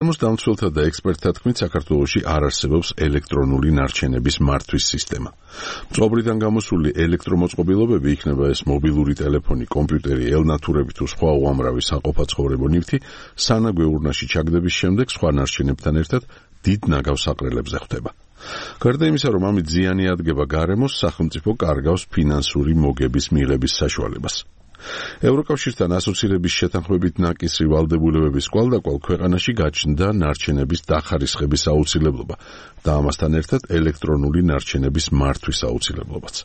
გამოსდამცველთა და ექსპერტთა თქმით, საქართველოში არ არსებობს ელექტრონული ნარჩენების მართვის სისტემა. მწყობრიდან გამოსული ელექტრომოწყობილობები, იქნება ეს მობილური ტელეფონი, კომპიუტერი, ელნათურები თუ სხვა უამრავი საყოფაცხოვრებო ნივთი, სანაგვე ურნაში ჩაგდების შემდეგ სხვა ნარჩენებთან ერთად დიდ ნაგავს საყრელებზე ხვდება. გარდა იმისა, რომ ამით ზიანი ადგება გარემოს, სახელმწიფო კარგავს ფინანსური მოგების მიღების საშუალებას. ევროკავშირთან ასოცირების შეთანხმებით ნაკისრი ვალდებულებების კვალდაკვალ ქვეყანაში გაჩნდა ნარჩენების დახარისხების აუცილებლობა და ამასთან ერთად ელექტრონული ნარჩენების მართვის აუცილებლობაც.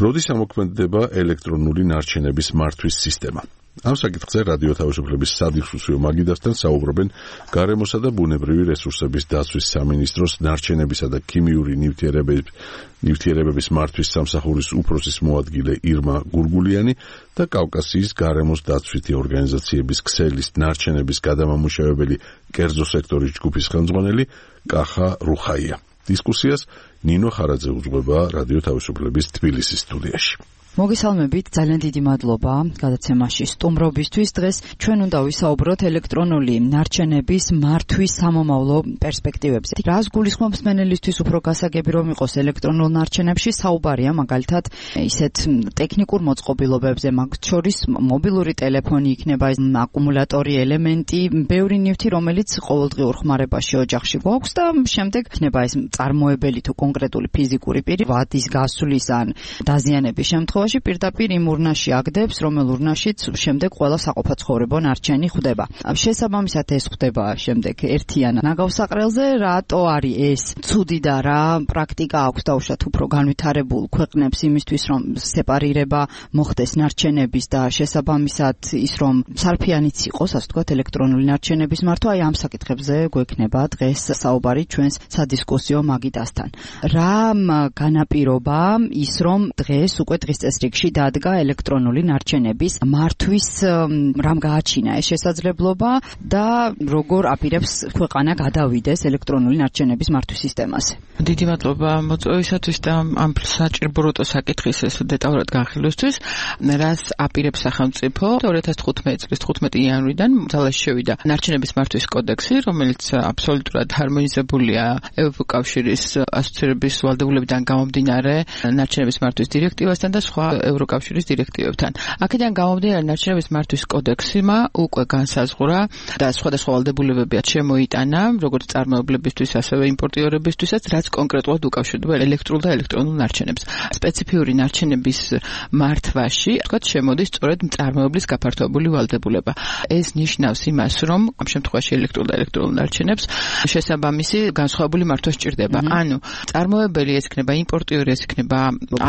როდის ამოქმედდება ელექტრონული ნარჩენების მართვის სისტემა? ამ საკითხზე რადიო თავისუფლების სადისკუსიო მაგიდასთან საუბრობენ გარემოსა და ბუნებრივი რესურსების დაცვის სამინისტროს ნარჩენებისა და ქიმიური ნივთიერებების მართვის სამსახურის უფროსის მოადგილე ირმა გურგულიანი და კავკასიის გარემოს დაცვითი ორგანიზაციების ქსელის ნარჩენების გადამამუშავებელი კერძო სექტორის ჯგუფის ხელმძღვანელი კახა რუხაია. დისკუსიას ნინო ხარაძე უძღვება რადიო თავისუფლების თბილისის სტუდიაში. მოგესალმებით, ძალიან დიდი მადლობა გადაცემაში სტუმრობისთვის. დღეს ჩვენ უნდა ვისაუბროთ ელექტრონული ნარჩენების მართვის სამომავლო პერსპექტივებზე. რას გულისხმობს მსმენელისთვის უფრო გასაგები რომ იყოს ელექტრონულ ნარჩენებში საუბარია, მაგალითად, ისეთ ტექნიკურ მოწყობილობებზე, მათ შორის მობილური ტელეფონი იქნება, აკუმულატორი, ელემენტი, ბევრი ნივთი, რომელიც ყოველდღიურ ხმარებაში ოჯახში გვაქვს და შემდეგ იქნება ეს წარმოებელი თუ კონკრეტული ფიზიკური პირი ვადის გასვლის ან დაზიანების შემთხვევაში პირდაპირ იმ ურნაში აგდებს, რომელ ურნაშიც შემდეგ ყველა საყოფაცხოვრებო ნარჩენი ხვდება. შესაბამისად ეს ხვდება შემდეგ ერთიან ნაგავსაყრელზე, რატო არის ეს ცუდი და რა პრაქტიკა აქვს დაუშვათ უფრო განვითარებულ ქვეყნებს იმისთვის, რომ სეპარირება მოხდეს ნარჩენების და შესაბამისად ის რომ სარფიანიც იყოს, ასე ვთქვათ, ელექტრონული ნარჩენების მართვა, აი ამ საკითხებზე გვექნება დღეს საუბარი ჩვენს სადისკუსიო მაგიდასთან. რა განაპირობა ის რომ დღეს უკვე დღის წესრიგში დადგა ელექტრონული ნარჩენების მართვის რამ გააჩინა ეს შესაძლებლობა და როგორ აპირებს ქვეყანა გადავიდეს ელექტრონული ნარჩენების მართვის სისტემაზე. დიდი მადლობა მოწვევისათვის და ამ საჭირობროტო საკითხის ეს დეტალურად განხილვისთვის. რას აპირებს სახელმწიფო 2015 წლის 15 იანვრიდან ძალაში შევიდა ნარჩენების მართვის კოდექსი, რომელიც აბსოლუტურად ჰარმონიზებულია ევროკავშირის ასოცირების ვალდებულებიდან გამომდინარე ნარჩენების მართვის დირექტივასთან და სხვა ევროკავშირის დირექტივებთან. აქედან გამომდინარე ნარჩენების მართვის კოდექსმა უკვე განსაზღვრა და სხვადასხვა ვალდებულებებია შემოიტანა, როგორც წარმოებლებისთვის, ასევე იმპორტიორებისთვისაც, რაც კონკრეტულად უკავშირდება ელექტრულ და ელექტრონულ ნარჩენებს. სპეციფიური ნარჩენების მართვაში, თქვათ, შემოდის სწორედ წარმოებლის გაფართოებული ვალდებულება. ეს ნიშნავს იმას, რომ ამ შემთხვევაში ელექტრულ და ელექტრონულ ნარჩენებს შესაბამისი განსხვავებული მართვა სჭირდება. ანუ წარმოებელი ეს იქნება იმპორტიორი, ეს იქნება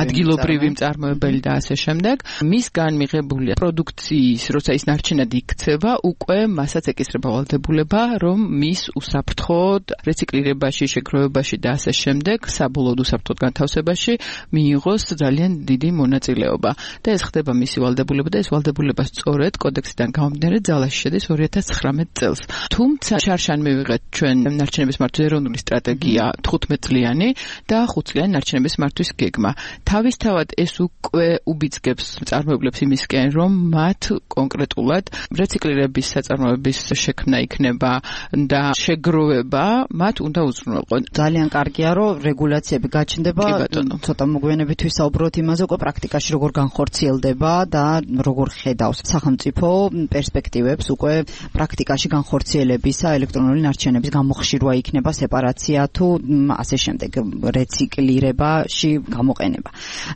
ადგილობრივი მწარმოებელი და ასე შემდეგ. მისგან მიღებული პროდუქციის, როცა ის ნარჩენად იქცევა, უკვე მასაც ეკისრება ვალდებულება, რომ მის უსაფრთხოდ რეციკლირებაში, შეგროვებაში და ასე შემდეგ, საბოლოოდ უსაფრთხოდ განთავსებაში მიიღოს ძალიან დიდი მონაწილეობა. და ეს ხდება მისი ვალდებულება და ეს ვალდებულება სწორედ კოდექსიდან გამომდინარე ძალაში შედის 2019 წელს. თუმცა შარშან მივიღეთ ჩვენ ნარჩენების მართვის ეროვნული სტრატეგია 15 წლიანი და 5 წლიანი ნარჩენების მართვის გეგმა. თავისთავად ეს უკვე უბიძგებს წარმოებლებს იმისკენ, რომ მათ კონკრეტულად რეციკლირების საწარმოების შექმნა იქნება და შეგროვება მათ უნდა უზრუნველყონ. ძალიან კარგია, რომ რეგულაციები გაჩნდება. ცოტა მოგვიანებით ვისაუბროთ იმაზე, უკვე პრაქტიკაში როგორ განხორციელდება და როგორ ხედავს სახელმწიფო პერსპექტივებს უკვე პრაქტიკაში განხორციელებისა, ელექტრონული ნარჩენების გამოხშირვა იქნება, სეპარაცია თუ ასე შემდეგ რეციკლირებაში გამოყენება.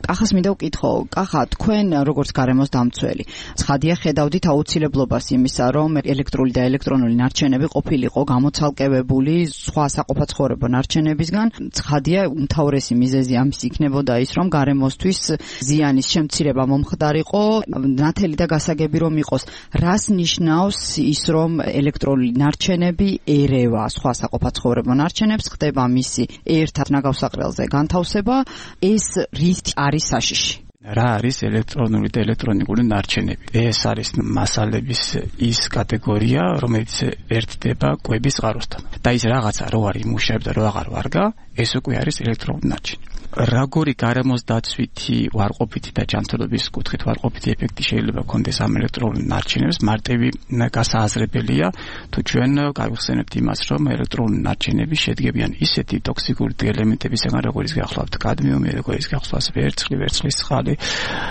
კახას მინდა ვკითხო, კახა, თქვენ როგორც გარემოს დამცველი, ცხადია ხედავდით აუცილებლობას იმისა, რომ ელექტრული და ელექტრონული ნარჩენები ყოფილიყო გამოცალკევებული სხვა საყოფაცხოვრებო ნარჩენებისგან. ცხადია, უმთავრესი მიზეზი ამის იქნებოდა ის, რომ გარემოსთვის ზიანის შემცირება მომხდარიყო, ნათელი და გასაგები რომ იყოს. რას ნიშნავს ის, რომ ელექტრონული ნარჩენები ერევა სხვა საყოფაცხოვრებო ნარჩენებს, ხდება მისი ერთად ნაგავსაყრელზე განთავსება, ეს რით არის საშიში? რა არის ელექტრონული და ელექტრონიკული ნარჩენები. ეს არის მასალების ის კატეგორია, რომელიც ერთდება კვების წყაროსთან. და ის რაღაცა რო არის იმუშავებს და რო აღარ ვარგა, ეს უკვე არის ელექტრონული ნარჩენი. Როგორი გარემოს დაცვითი ვარყოფითი და ჯანმრთელობის კუთხით ვარყოფითი ეფექტი შეიძლება ქონდეს ამ ელექტრონულ ნარჩენებს, მარტივი გასააზრებელია, თუ ჩვენ გავიხსენებთ იმას, რომ ელექტრონული ნარჩენები შედგებიან ისეთი ტოქსიკური ელემენტებისგან, როგორიც გახლავთ კადმიუმი, როგორიც გახლავს ვერცხლი, ვერცხლის წყალი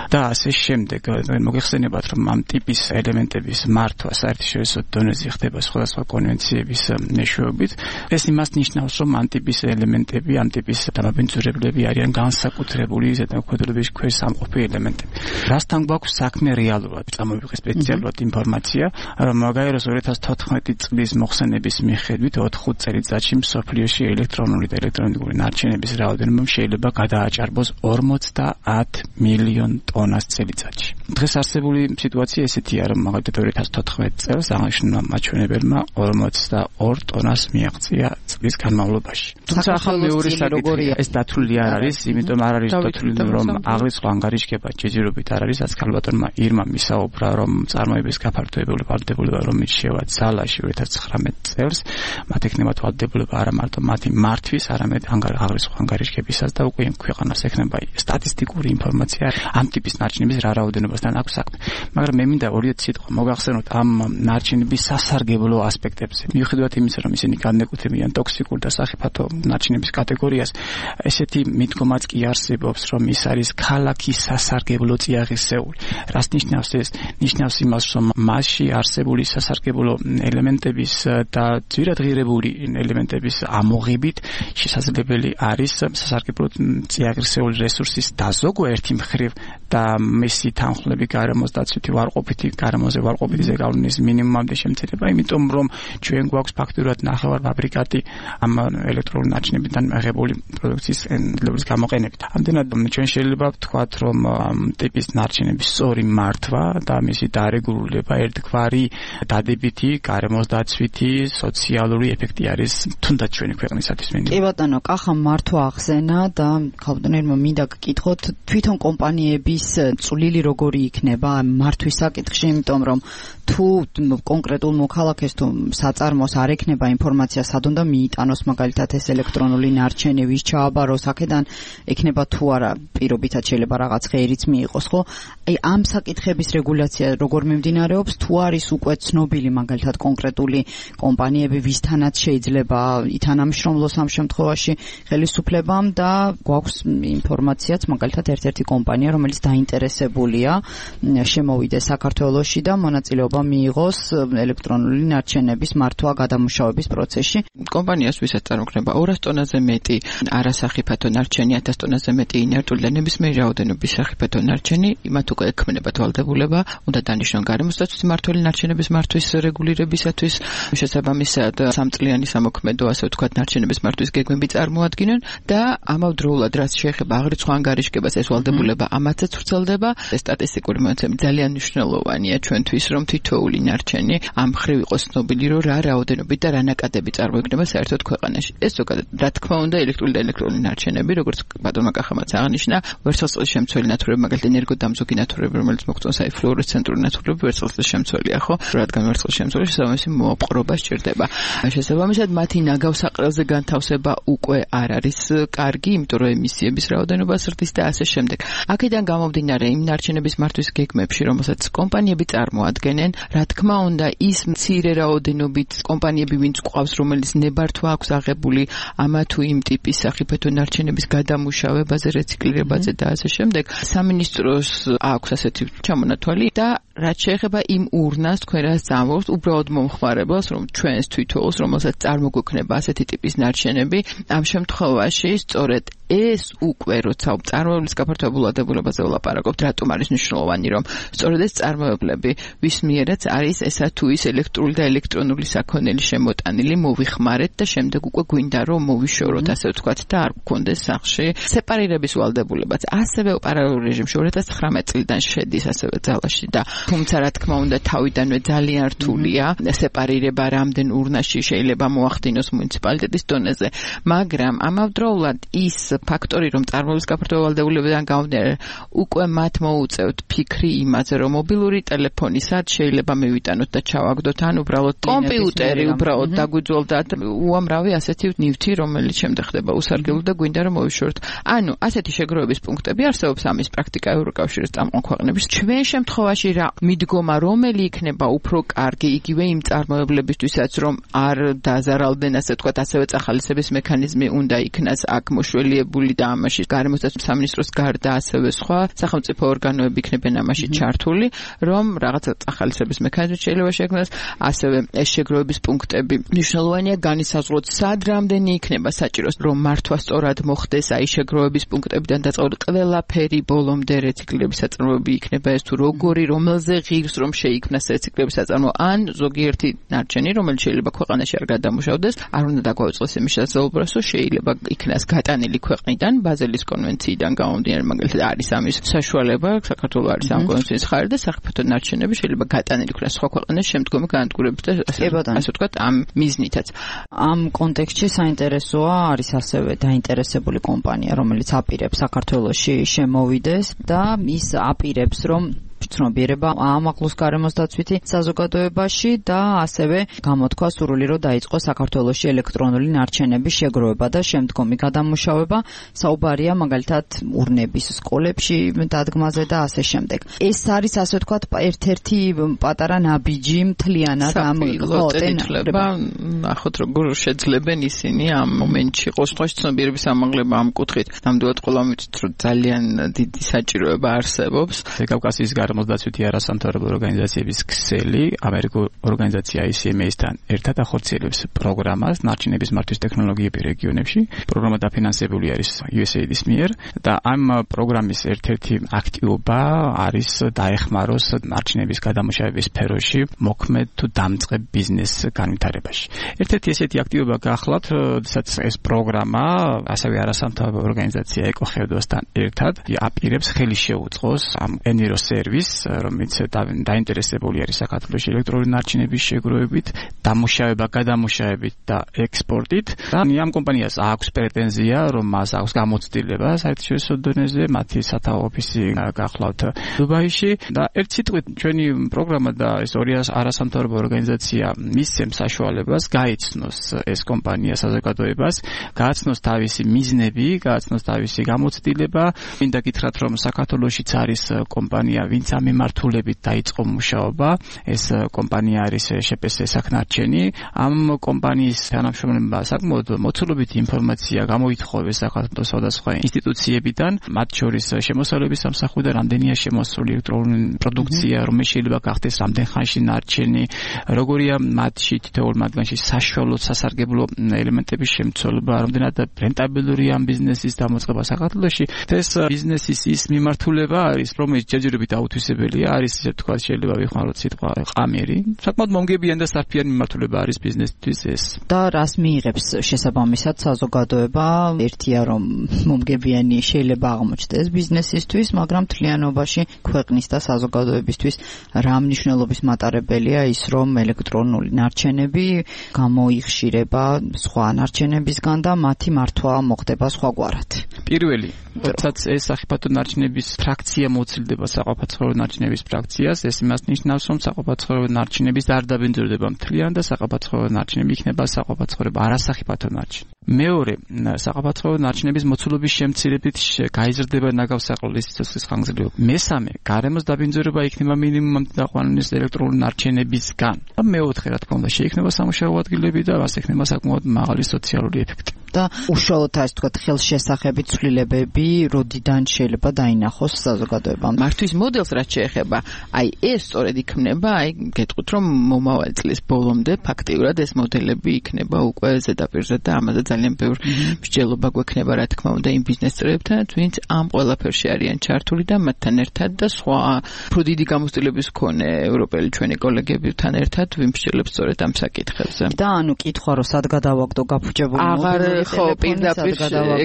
და ასე შემდეგ. მოგეხსენებათ, რომ ამ ტიპის ელემენტების მართვა საერთაშორისო დონეზე ხდება სხვადასხვა კონვენციების მეშვეობით. ეს იმას ნიშნავს, რომ ამ ტიპის ელემენტები, ამ ტიპის დამაბინძურებლები არიან განსაკუთრებული ზედამხედველობის ქვეშ სამყოფი ელემენტები. რასთან გვაქვს საქმე რეალურად? წამოვიღე სპეციალურად ინფორმაცია, რომ მაგალითად 2014 წლის მოხსენების მიხედვით 4 წელიწადში მსოფლიოში ელექტრონული და ელექტრონიკული ნარჩენების რაოდენობა შეიძლება გადააჭარბოს 50 მილიონ ტონას წელიწადში. დღეს არსებული სიტუაცია ესეთია, რომ მაგალითად 2014 წელს აღნიშნულმა მაჩვენებელმა 42 ტონას მიაღწია წლის განმავლობაში. თუმცა ახლა მეორე საკითხია, ეს დათვლილი არ არის, იმიტომ არ არის დათვლილი, რომ აღრიცხვა ანგარიშგება ჯეჯირობით არ არის, რაც ქალბატონმა ირმა მისაუბრა, რომ წარმოების გაფართოებული ვალდებულება რომ ირჩევა ძალაში 2019 წელს, მათ ექნება ვალდებულება არა მარტო მათი მართვის, არამედ აღრიცხვა ანგარიშგებისას და უკვე ქვეყანას ექნება სტატისტიკური ინფორმაცია ამ ტიპის ნარჩენების რა რაოდენობასთან აქვს საქმე. მაგრამ მე მინდა 2 სიტყვა მოგახსენოთ ამ ნარჩენების სასარგებლო ასპექტებზე. მიუხედავად იმისა, რომ ისინი განეკუთვნებიან ტოქსიკურ და სახიფათო ნარჩენების კატეგორიას, ესეთი მიდგომაც კი არსებობს, რომ ის არის ქალაქის სასარგებლო წიაღისეული. რას ნიშნავს ეს? ნიშნავს იმას, რომ მასში არსებული სასარგებლო ელემენტების და ძვირადღირებული ელემენტების ამოღებით შესაძლებელი არის სასარგებლო წიაღისეული რესურსის დაზოგვა ერთი მხრივ და მისი თანხლები გარემოს დაცვითი ვარყოფითი გარემოზე ვარყოფითი ზეგავლენის მინიმუმამდე შემცირება, იმიტომ რომ ჩვენ გვაქვს ფაქტურად ნახევარფაბრიკატი ამ ელექტრონული ნარჩენებიდან მიღებული პროდუქციის ენდლების გამოყენებით. ამდენად ჩვენ შეიძლება ვთქვათ, რომ ამ ტიპის ნარჩენების სწორი მართვა და მისი დარეგულირება ერთგვარი დადებითი გარემოს დაცვითი სოციალური ეფექტი არის თუნდაც ჩვენი ქვეყნისათვის. კი ბატონო, კახამ მართვა ახსენა და ქალბატონებმა მინდა გკითხოთ, თვითონ კომპანიების წვლილი როგორი იქნება მართვის საკითხში, იმიტომ რომ თუ კონკრეტულ მოქალაქეს თუ საწარმოს არ ექნება ინფორმაცია, სად უნდა მიიტანოს მაგალითად ეს ელექტრონული ნარჩენი, ვის ჩააბაროს, აქედან ექნება თუ არა პირობითად შეიძლება რაღაც ღერიც მიიღოს, ხო? აი ამ საკითხების რეგულაცია როგორ მიმდინარეობს, თუ არის უკვე ცნობილი მაგალითად კონკრეტული კომპანიები, ვისთანაც შეიძლება ითანამშრომლოს ამ შემთხვევაში ხელისუფლებამ და გვაქვს ინფორმაციაც მაგალითად ერთ-ერთი კომპანია, რომელიც დაინტერესებულია შემოვიდეს საქართველოში და მონაწილეობა მიიღოს ელექტრონული ნარჩენების მართვა გადამუშავების პროცესში. კომპანიას ვისაც წარმოქმნება 200 ტონაზე მეტი არასახიფათო ნარჩენი, 1000 ტონაზე მეტი ინერტული და ნებისმიერი რაოდენობის სახიფათო ნარჩენი, მათ უკვე ექმნებათ ვალდებულება, უნდა დანიშნონ გარემოს დაცვითი მმართველი ნარჩენების მართვის რეგულირებისათვის, შესაბამისად 3 წლიანი სამოქმედო, ასე ვთქვათ, ნარჩენების მართვის გეგმები წარმოადგინონ და ამავდროულად რაც შეეხება აღრიცხვა ანგარიშგებას, ეს ვალდებულება ამათაც ვრცელდება. სტატისტიკური მონაცემები ძალიან მნიშვნელოვანია ჩვენთვის, რომ თითოეული ნარჩენი ამ მხრივ იყოს ცნობილი, რომ რა რაოდენობით და რა ნაკადები წარმოიქმნება საერთოდ ქვეყანაში. ეს ზოგადად, რა თქმა უნდა, ელექტრული და ელექტრონული ნარჩენები, როგორც ბატონმა კახამაც აღნიშნა, ვერცხლის შემცველი ნათურები, მაგალითად ენერგოდამზოგი ნათურები, რომელიც მოგწონს, აი ფლუორესცენტური ნათურები, ვერცხლის შემცველია, ხო? რადგან ვერცხლის შემცველი შესაბამისი მოპყრობა სჭირდება. შესაბამისად, მათი ნაგავსაყრელზე განთავსება უკვე არ არის კარგი, იმიტომ რომ ემისიების რაოდენობა ზრდის და ასე შემდეგ. აქედან გამომდინარე, იმ ნარჩენების მართვის გეგმებში, რომელსაც კომპანიები წარმოადგენენ, რა თქმა უნდა, ის მცირე რაოდენობით კომპანიები, ვინც გვყავს, რომელიც ნებართვა აქვს აღებული ამა თუ იმ ტიპის სახიფათო ნარჩენების გადამუშავებაზე, რეციკლირებაზე და ასე შემდეგ, სამინისტროს აქვს ასეთი ჩამონათვალი და რაც შეეხება იმ ურნას, თქვენ რას წამოვთ, უბრალოდ მომხმარებელს, რომ ჩვენს თვითონს, რომელსაც წარმოგვექნება ასეთი ტიპის ნარჩენები, ამ შემთხვევაში სწორედ ეს უკვე როცა წარმოებლის გაფართოებულ ვალდებულებაზე ვლაპარაკობთ, რატომ არის მნიშვნელოვანი, რომ სწორედ ეს წარმოებლები, ვის მიერაც არის ესა თუ ის ელექტრული და ელექტრონული საქონელი შემოტანილი, მოვიხმარეთ და შემდეგ უკვე გვინდა რომ მოვიშოროთ, ასე ვთქვათ, და არ გქონდეს სახში სეპარირების ვალდებულებაც. ასევე პარალელურ რეჟიმში 2019 წლიდან შედის ასევე ძალაში და თუმცა რა თქმა უნდა თავიდანვე ძალიან რთულია სეპარირება რამდენ ურნაში შეიძლება მოახდინოს მუნიციპალიტეტის დონეზე, მაგრამ ამავდროულად ის ფაქტორი, რომ წარმოების გაფართოება ვალდებულებიდან გამომდინარე, უკვე მათ მოუწევთ ფიქრი იმაზე, რომ მობილური ტელეფონი სად შეიძლება მივიტანოთ და ჩავაგდოთ, ან უბრალოდ კომპიუტერი უბრალოდ დაგვიძველდათ უამრავი ასეთი ნივთი, რომელიც შემდეგ ხდება უსარგებლო და გვინდა რომ მოვიშოროთ. ანუ ასეთი შეგროვების პუნქტები არსებობს ამის პრაქტიკა ევროკავშირის წამყვან ქვეყნების. ჩვენ შემთხვევაში რა მიდგომა რომელი იქნება უფრო კარგი იგივე იმ წარმოებლებისთვისაც რომ არ დაზარალდნენ ასე ვთქვათ ასევე წახალისების მექანიზმი უნდა იქნას აქ მოშველიებული და ამაში გარემოსდაცვის სამინისტროს გარდა ასევე სხვა სახელმწიფო ორგანოები იქნებიან ამაში ჩართული რომ რაღაცა წახალისების მექანიზმი შეიძლება შექმნას ასევე ეს შეგროვების პუნქტები მნიშვნელოვანია განისაზღვროთ სად რამდენი იქნება საჭირო რომ მართვა სწორად მოხდეს აი შეგროვების პუნქტებიდან დაწყებული ყველაფერი ბოლომდე რეციკლირების საწარმოები იქნება ეს თუ როგორი რომელზე ღირს რომ შეიქმნას რეციკლირების საწარმო ან ზოგიერთი ნარჩენი რომელიც შეიძლება ქვეყანაში არ გადამუშავდეს არ უნდა დაგვაუწყდეს იმის შესაძლებლობას რომ შეიძლება იქნას გატანილი ქვეყნიდან ბაზელის კონვენციიდან გამომდინარე მაგალითად არის ამის საშუალება საქართველოს არის ამ კონვენციის ხარი და საფრთხე ნარჩენები შეიძლება გატანილი იქნას სხვა ქვეყანაში შემდგომი განადგურებით და ასე ვთქვათ ამ მიზნითაც ამ კონტექსტში საინტერესოა არის ასევე დაინტერესებული კომპანია რომელიც აპირებს საქართველოში შემოვიდეს და ის აპირებს რომ ცნობიერება ამაღლოს გარემოსდაცვითი საზოგადოებაში და ასევე გამოთქვა სურვილი რომ დაიწყოს საქართველოში ელექტრონული ნარჩენების შეგროვება და შემდგომი გადამუშავება. საუბარია მაგალითად ურნების სკოლებში დადგმაზე და ასე შემდეგ. ეს არის ასე ვთქვათ ერთ-ერთი პატარა ნაბიჯი მთლიანად ამ ყოტენითლება. ნახოთ როგორ შეძლებენ ისინი ამ მომენტში ყოველთვის ცნობიერების ამაღლება ამ კუთხით. ნამდვილად ყველა მიცით რომ ძალიან დიდი საჭიროება არსებობს. კავკასიის გამოსდაცვითი არასამთავრობო ორგანიზაციების ქსელი ამერიკულ ორგანიზაცია ICMA-სთან ერთად ახორციელებს პროგრამას ნარჩენების მართვის ტექნოლოგიები რეგიონებში. პროგრამა დაფინანსებული არის USAID-ის მიერ და ამ პროგრამის ერთ-ერთი აქტივობა არის დაეხმაროს ნარჩენების გადამუშავების სფეროში მოქმედ თუ დამწყებ ბიზნეს განვითარებაში. ერთ-ერთი ესეთი აქტივობა გახლავთ, როდესაც ეს პროგრამა ასევე არასამთავრობო ორგანიზაცია ეკოხევდოსთან ერთად აპირებს ხელი შეუწყოს ამ ენირო სერვისს რომელიც დაინტერესებული არის საქართველოს ელექტრონული ნარჩენების შეგროვებით, დამუშავება, გადამუშავებით და ექსპორტით. ამ კომპანიას აქვს პრეტენზია, რომ მას აქვს გამოცდილება საერთაშორისო დონეზე, მათი სათავო ოფისი გახლავთ დუბაიში და ერთ სიტყვით ჩვენი პროგრამა და ეს ორი არასამთავრობო ორგანიზაცია მისცემს საშუალებას გაიცნოს ეს კომპანია საზოგადოებას, გააცნოს თავისი მიზნები, გააცნოს თავისი გამოცდილება. მინდა გითხრათ, რომ საქართველოშიც არის კომპანია, ვინც ამ მიმართულებით დაიწყო მუშაობა. ეს კომპანია არის შპს საქნარჩენი. ამ კომპანიის თანამშრომლებმა საკმაოდ მოცულობითი ინფორმაცია გამოითხოვეს საქართველოს სხვადასხვა ინსტიტუციებიდან, მათ შორის შემოსავლების სამსახურიდან რამდენია შემოსული ელექტრონული პროდუქცია, რომელიც შეიძლება გახდეს რამდენ ხანში ნარჩენი, როგორია მათში თითოეულ მათგანში საშუალო სასარგებლო ელემენტების შემცველობა, რამდენად რენტაბელურია ამ ბიზნესის დამოწყება საქართველოში. ეს ბიზნესის ის მიმართულება არის, რომელიც ჯერჯერობით აუთვისებელია, არის ისე თქვა შეიძლება ვიხმაროთ სიტყვა ყამერი. საკმაოდ მომგებიანი და საფრთხიანი მიმართულება არის ბიზნესთვის ეს. და რას მიიღებს შესაბამისად საზოგადოება? ერთია რომ მომგებიანი შეიძლება აღმოჩნდეს ბიზნესისთვის, მაგრამ მთლიანობაში ქვეყნის და საზოგადოებისთვის რა მნიშვნელობის მატარებელია ის რომ ელექტრონული ნარჩენები გამოიხშირება სხვა ნარჩენებისგან და მათი მართვა მოხდება სხვაგვარად. პირველი, როდესაც ეს სახიფათო ნარჩენების ფრაქცია მოცილდება საყოფაცხოვრებო ნარჩენების ფრაქციას, ეს იმას ნიშნავს, რომ საყოფაცხოვრებო ნარჩენების არ დაბინძურდება მთლიან და საყოფაცხოვრებო ნარჩენები იქნება საყოფაცხოვრებო არასახიფათო ნარჩენი. მეორე, საყოფაცხოვრებო ნარჩენების მოცულობის შემცირებით გაიზრდება ნაგავსაყრელის სიცოცხლის ხანგრძლივობა. მესამე, გარემოს დაბინძურება იქნება მინიმუმამდე დაყვანილი ელექტრონული ნარჩენებისგან. მეოთხე, რა თქმა უნდა, შეიქმნება სამუშაო ადგილები და მას ექნება საკმაოდ მაღალი სოციალური ეფექტი. და უშუალოდ ასე ვთქვათ ხელშესახებით ცვლილებები როდიდან შეიძლება დაინახოს საზოგადოებამ. მართვის მოდელს რაც შეეხება, აი ეს სწორედ იქნება, აი გეტყვით რომ მომავალი წლის ბოლომდე ფაქტიურად ეს მოდელები იქნება უკვე ზედაპირზე და ამაზე ძალიან ბევრი მსჯელობა გვექნება რა თქმა უნდა იმ ბიზნეს წრეებთან, ვინც ამ ყველაფერში არიან ჩართული და მათთან ერთად და სხვა უფრო დიდი გამოცდილების მქონე ევროპელი ჩვენი კოლეგებთან ერთად ვიმსჯელებს სწორედ ამ საკითხებზე. და ანუ კითხვა რომ სად გადავაგდო გაფუჭებული აღარ ხო პირდაპირ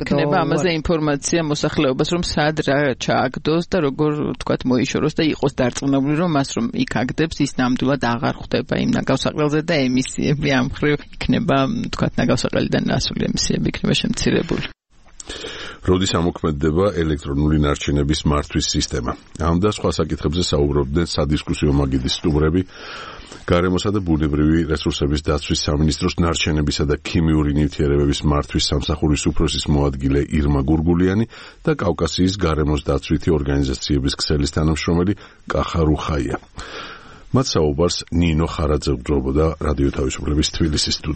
ექნება ამაზე ინფორმაცია მოსახლეობას რომ სად რა ჩააგდოს და როგორ თქვათ მოიშოროს და იყოს დარწმუნებული რომ მას რომ იქ აგდებს ის ნამდვილად აღარ ხვდება იმ ნაგავსაყრელზე და ემისიები ამ ხრივ იქნება თქვათ ნაგავსაყრელიდან ასული ემისიები იქნება შემცირებული. როდის ამოქმედდება ელექტრონული ნარჩენების მართვის სისტემა? ამ და სხვა საკითხებზე საუბრობდნენ სადისკუსიო მაგიდის სტუმრები, გარემოსა და ბუნებრივი რესურსების დაცვის სამინისტროს ნარჩენებისა და ქიმიური ნივთიერებების მართვის სამსახურის უფროსის მოადგილე ირმა გურგულიანი და კავკასიის გარემოს დაცვითი ორგანიზაციების ქსელის თანამშრომელი კახა რუხაია. მათ საუბარს ნინო ხარაძე უძღვებოდა რადიო თავისუფლების თბილისის